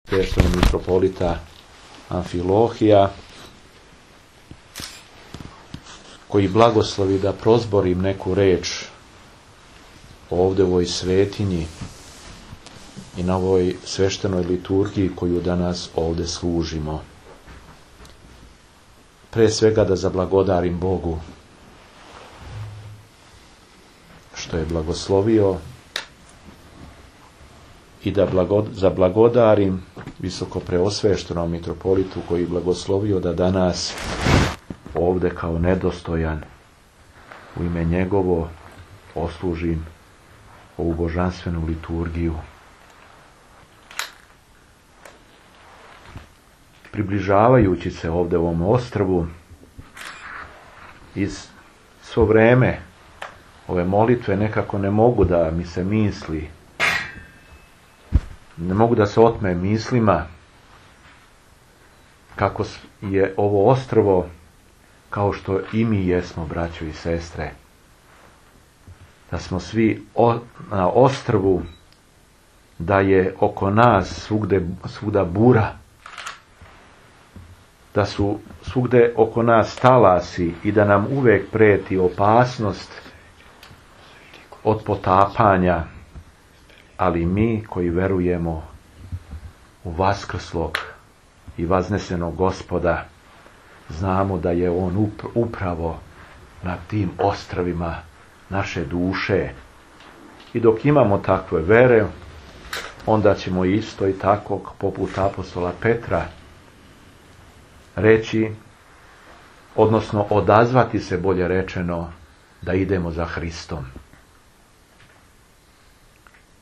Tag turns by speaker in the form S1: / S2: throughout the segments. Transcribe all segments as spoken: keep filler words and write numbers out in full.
S1: sveštenog mitropolita Amfilohija, koji blagoslovi da prozborim neku reč ovdje u ovoj svetinji i na ovoj sveštenoj liturgiji koju danas ovdje služimo. Pre svega da zablagodarim Bogu što je blagoslovio i da blagod, zablagodarim visoko preosveštenom mitropolitu koji je blagoslovio da danas ovdje kao nedostojan u ime njegovo oslužim ovu božanstvenu liturgiju. Približavajući se ovdje ovom ostrvu, iz svo vreme ove molitve nekako ne mogu da mi se misli, ne mogu da se otme mislima kako je ovo ostrvo kao što i mi jesmo, braćo i sestre, da smo svi o, na ostrvu, da je oko nas svugde, svuda bura, da su svugde oko nas talasi i da nam uvek preti opasnost od potapanja, ali mi koji verujemo u vaskrslog i vaznesenog Gospoda, znamo da je on upravo na tim ostrvima naše duše. I dok imamo takve vere, onda ćemo isto i tako poput apostola Petra reći, odnosno odazvati se, bolje rečeno, da idemo za Hristom.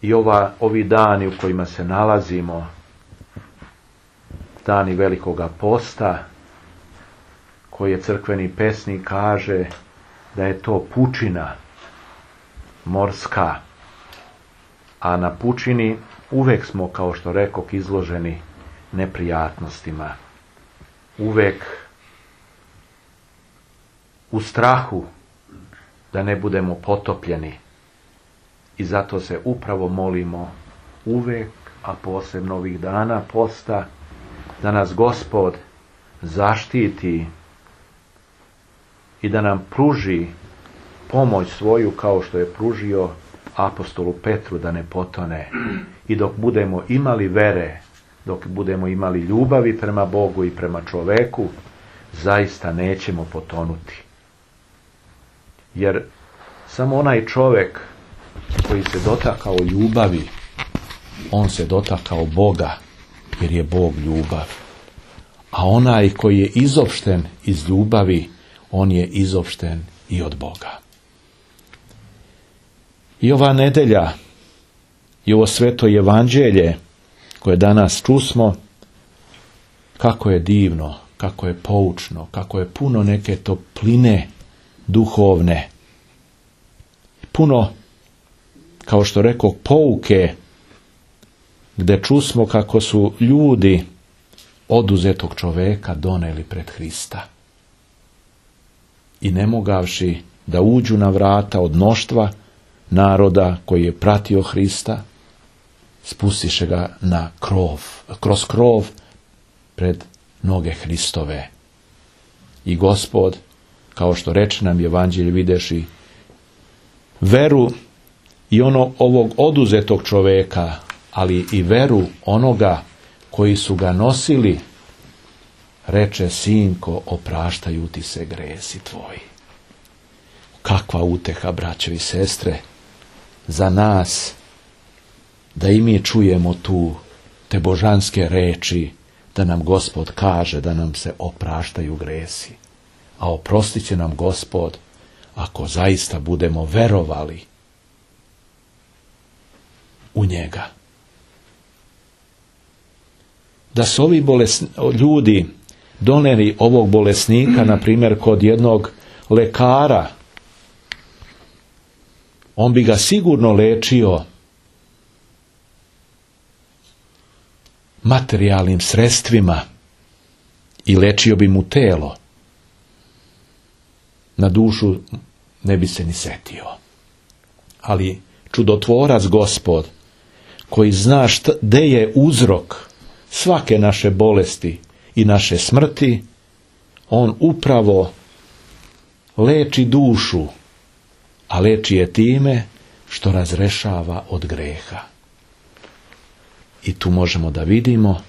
S1: I ova, ovi dani u kojima se nalazimo, dani Velikoga posta, koje crkveni pesnik kaže da je to pučina morska, a na pučini uvek smo, kao što rekoh, izloženi neprijatnostima. Uvek u strahu da ne budemo potopljeni. I zato se upravo molimo uvek, a posebno ovih dana posta, da nas Gospod zaštiti i da nam pruži pomoć svoju kao što je pružio apostolu Petru da ne potone. I dok budemo imali vere, dok budemo imali ljubavi prema Bogu i prema čoveku, zaista nećemo potonuti. Jer samo onaj čovek koji se dotakao ljubavi, on se dotakao Boga, jer je Bog ljubav. A onaj koji je izopšten iz ljubavi, on je izopšten i od Boga. I ova nedelja i ovo sveto evanđelje koje danas čusmo, kako je divno, kako je poučno, kako je puno neke topline duhovne, puno, kao što rekoh, pouke, gde čusmo kako su ljudi oduzetog čoveka doneli pred Hrista. I ne mogavši da uđu na vrata od mnoštva naroda koji je pratio Hrista, spustiše ga na krov, kroz krov pred noge Hristove. I Gospod, kao što reče nam evanđelje videši, veru i ono ovog oduzetog čoveka, ali i veru onoga koji su ga nosili, reče: sinko, opraštaju ti se gresi tvoji. Kakva uteha, braćo i sestre, za nas, da i mi čujemo tu te božanske reči, da nam Gospod kaže da nam se opraštaju gresi. A oprostit će nam Gospod ako zaista budemo verovali u njega. Da su ovi bolesni, ljudi doneli ovog bolesnika, na primjer, kod jednog lekara, on bi ga sigurno lečio materijalnim sredstvima i lečio bi mu telo. Na dušu ne bi se ni setio. Ali čudotvorac Gospod, koji zna šta, gde je uzrok svake naše bolesti i naše smrti, on upravo leči dušu, a leči je time što razrešava od greha. I tu možemo da vidimo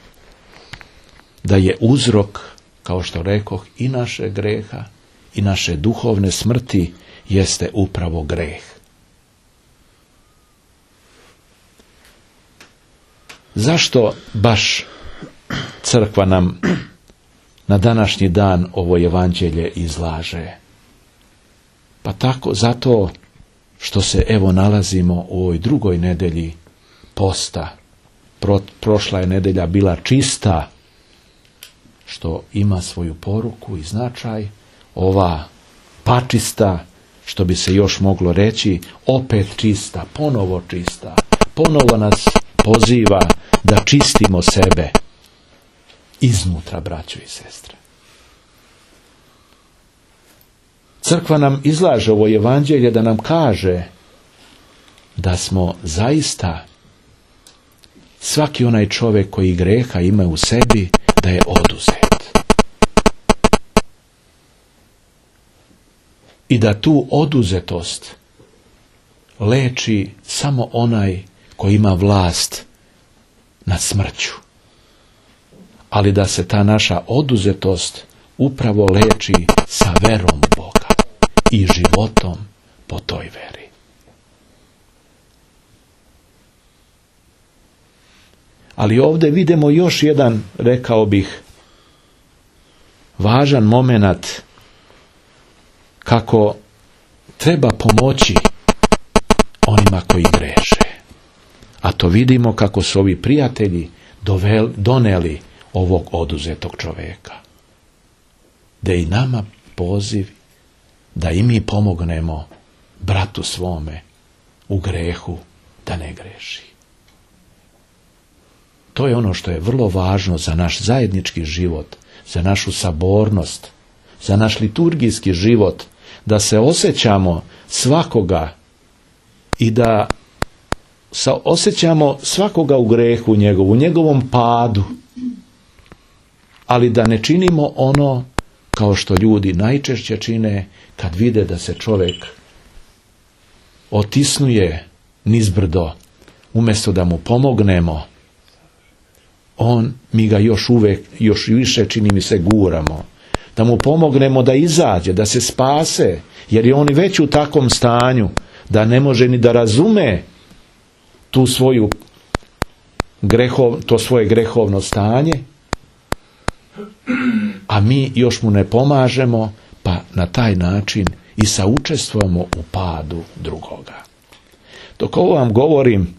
S1: da je uzrok, kao što rekoh, i naše greha i naše duhovne smrti jeste upravo greh. Zašto baš crkva nam na današnji dan ovo evanđelje izlaže? Pa tako, zato što se evo nalazimo u ovoj drugoj nedelji posta. Pro, prošla je nedelja bila čista, što ima svoju poruku i značaj. Ova pačista, što bi se još moglo reći, opet čista, ponovo čista. Ponovo nas poziva da čistimo sebe iznutra, braćo i sestre. Crkva nam izlaže ovo evanđelje da nam kaže da smo zaista svaki onaj čovjek koji greha ima u sebi, da je oduzet. I da tu oduzetost leči samo onaj koji ima vlast nad smrću. Ali da se ta naša oduzetost upravo leči sa verom u Boga i životom po toj veri. Ali ovdje vidimo još jedan, rekao bih, važan momenat kako treba pomoći onima koji greše. A to vidimo kako su ovi prijatelji dovel, doneli ovog oduzetog čovjeka. Da i nama poziv da i mi pomognemo bratu svome u grehu da ne greši. To je ono što je vrlo važno za naš zajednički život, za našu sabornost, za naš liturgijski život, da se osjećamo svakoga i da osjećamo svakoga u grehu njegovu, u njegovom padu, ali da ne činimo ono kao što ljudi najčešće čine kad vide da se čovjek otisnuje nizbrdo, umjesto da mu pomognemo, on, mi ga još uvijek, još više, čini mi se, guramo. Da mu pomognemo da izađe, da se spase, jer je on već u takvom stanju da ne može ni da razume tu svoju grehov, to svoje grehovno stanje, a mi još mu ne pomažemo, pa na taj način i saučestvujemo u padu drugoga. Dok ovo vam govorim,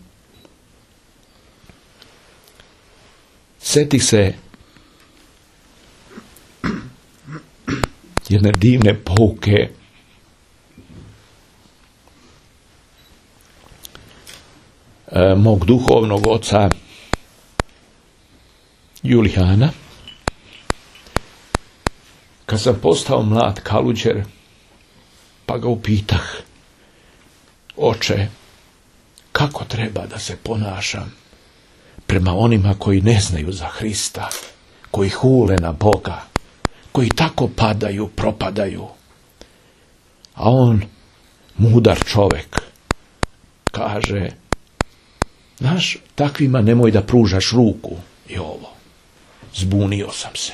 S1: setih se jedne divne pouke e, mog duhovnog oca Julijana. Kad sam postao mlad kaluđer, pa ga upitah: oče, kako treba da se ponašam prema onima koji ne znaju za Hrista, koji hule na Boga, koji tako padaju, propadaju? A on, mudar čovjek, kaže: znaš, takvima nemoj da pružaš ruku. I ovo, zbunio sam se.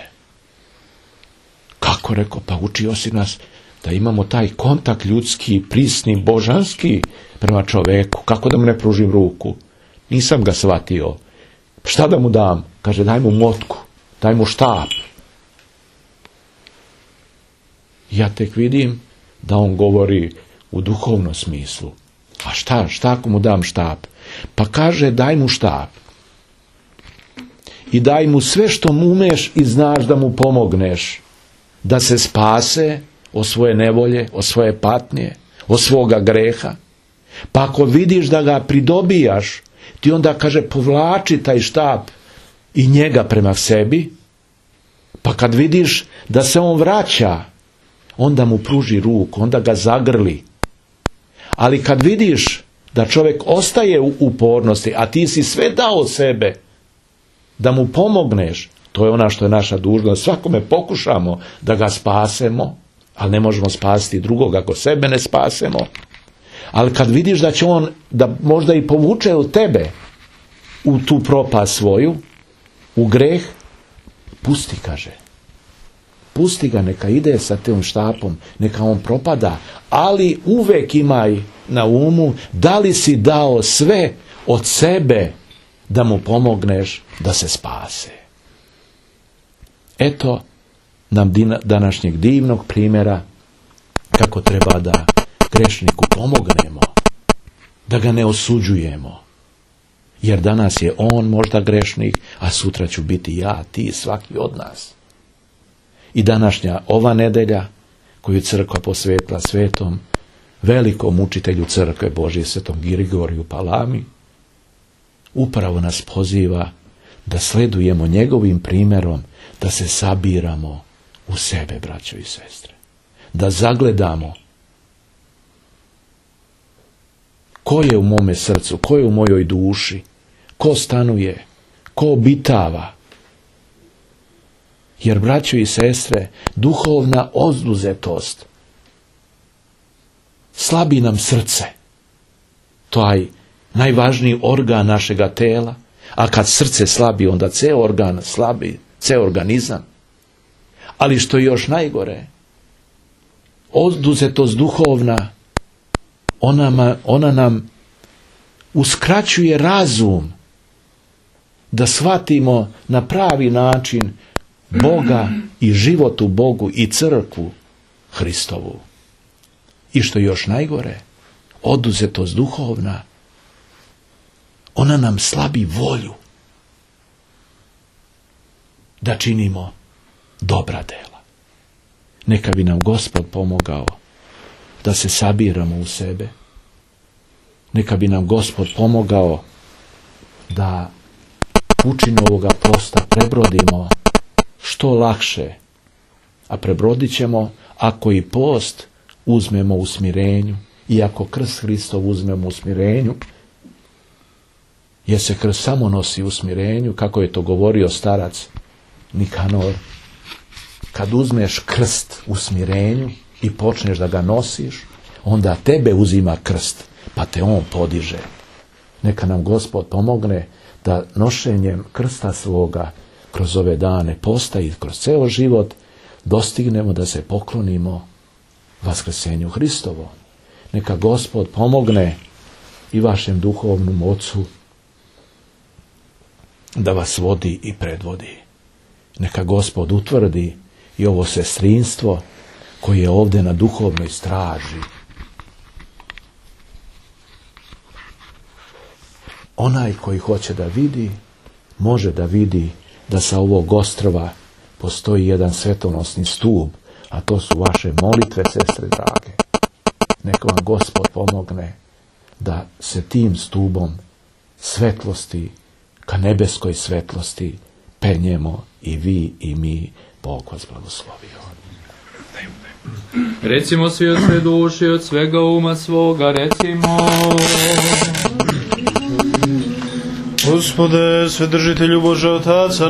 S1: Kako, rekao, pa učio si nas da imamo taj kontakt ljudski, prisni, božanski prema čovjeku. Kako da mu ne pružim ruku? Nisam ga shvatio. Šta da mu dam? Kaže: daj mu motku, daj mu štap. Ja tek vidim da on govori u duhovnom smislu. A šta, šta ako mu dam štap? Pa kaže: daj mu štap. I daj mu sve što mu umeš i znaš da mu pomogneš da se spase od svoje nevolje, od svoje patnje, od svoga greha. Pa ako vidiš da ga pridobijaš, ti onda, kaže, povlači taj štap i njega prema sebi, pa kad vidiš da se on vraća, onda mu pruži ruku, onda ga zagrli. Ali kad vidiš da čovjek ostaje u upornosti, a ti si sve dao sebe, da mu pomogneš, to je ona što je naša dužnost. Svakome pokušamo da ga spasemo, ali ne možemo spasiti drugog ako sebe ne spasemo. Ali kad vidiš da će on, da možda i povuče od tebe u tu propast svoju, u greh, pusti, kaže. Pusti ga, neka ide sa tim štapom, neka on propada, ali uvek imaj na umu da li si dao sve od sebe da mu pomogneš da se spase. Eto nam današnjeg divnog primjera kako treba da grešniku pomognemo, da ga ne osuđujemo. Jer danas je on možda grešnik, a sutra ću biti ja, ti, svaki od nas. I današnja ova nedelja, koju crkva posvetila svetom, velikom učitelju crkve Božje, svetom Grigoriju Palami, upravo nas poziva da sledujemo njegovim primjerom, da se sabiramo u sebe, braćo i sestre. Da zagledamo ko je u mome srcu, ko je u mojoj duši, ko stanuje, ko obitava. Jer, braćo i sestre, duhovna oduzetost slabi nam srce. Taj najvažniji organ našega tela, a kad srce slabi, onda ceo organ slabi, ceo organizam. Ali što je još najgore, oduzetost duhovna, ona, ona nam uskraćuje razum da shvatimo na pravi način Boga i život u Bogu i crkvu Hristovu. I što je još najgore, oduzetost duhovna, ona nam slabi volju da činimo dobra dela. Neka bi nam Gospod pomogao da se sabiramo u sebe. Neka bi nam Gospod pomogao da pučinu ovoga posta prebrodimo što lakše, a prebrodit ćemo ako i post uzmemo u smirenju i ako krst Hristov uzmemo u smirenju, jer se krst samo nosi u smirenju, kako je to govorio starac Nikanor. Kad uzmeš krst u smirenju i počneš da ga nosiš, onda tebe uzima krst, pa te on podiže. Neka nam Gospod pomogne da nošenjem krsta svoga kroz ove dane posta i kroz ceo život dostignemo da se poklonimo vaskrsenju Hristovo. Neka Gospod pomogne i vašem duhovnom ocu da vas vodi i predvodi. Neka Gospod utvrdi i ovo sestrinstvo koje je ovdje na duhovnoj straži. Onaj koji hoće da vidi, može da vidi da sa ovog ostrva postoji jedan svetonosni stup, a to su vaše molitve, sestre drage. Neka vam Gospod pomogne da se tim stubom svetlosti, ka nebeskoj svetlosti, penjemo i vi i mi. Bog vas blagoslovio.
S2: Recimo svi od sve duši, od svega uma svoga, recimo.
S3: Gospode, Svedržitelju Bože Otaca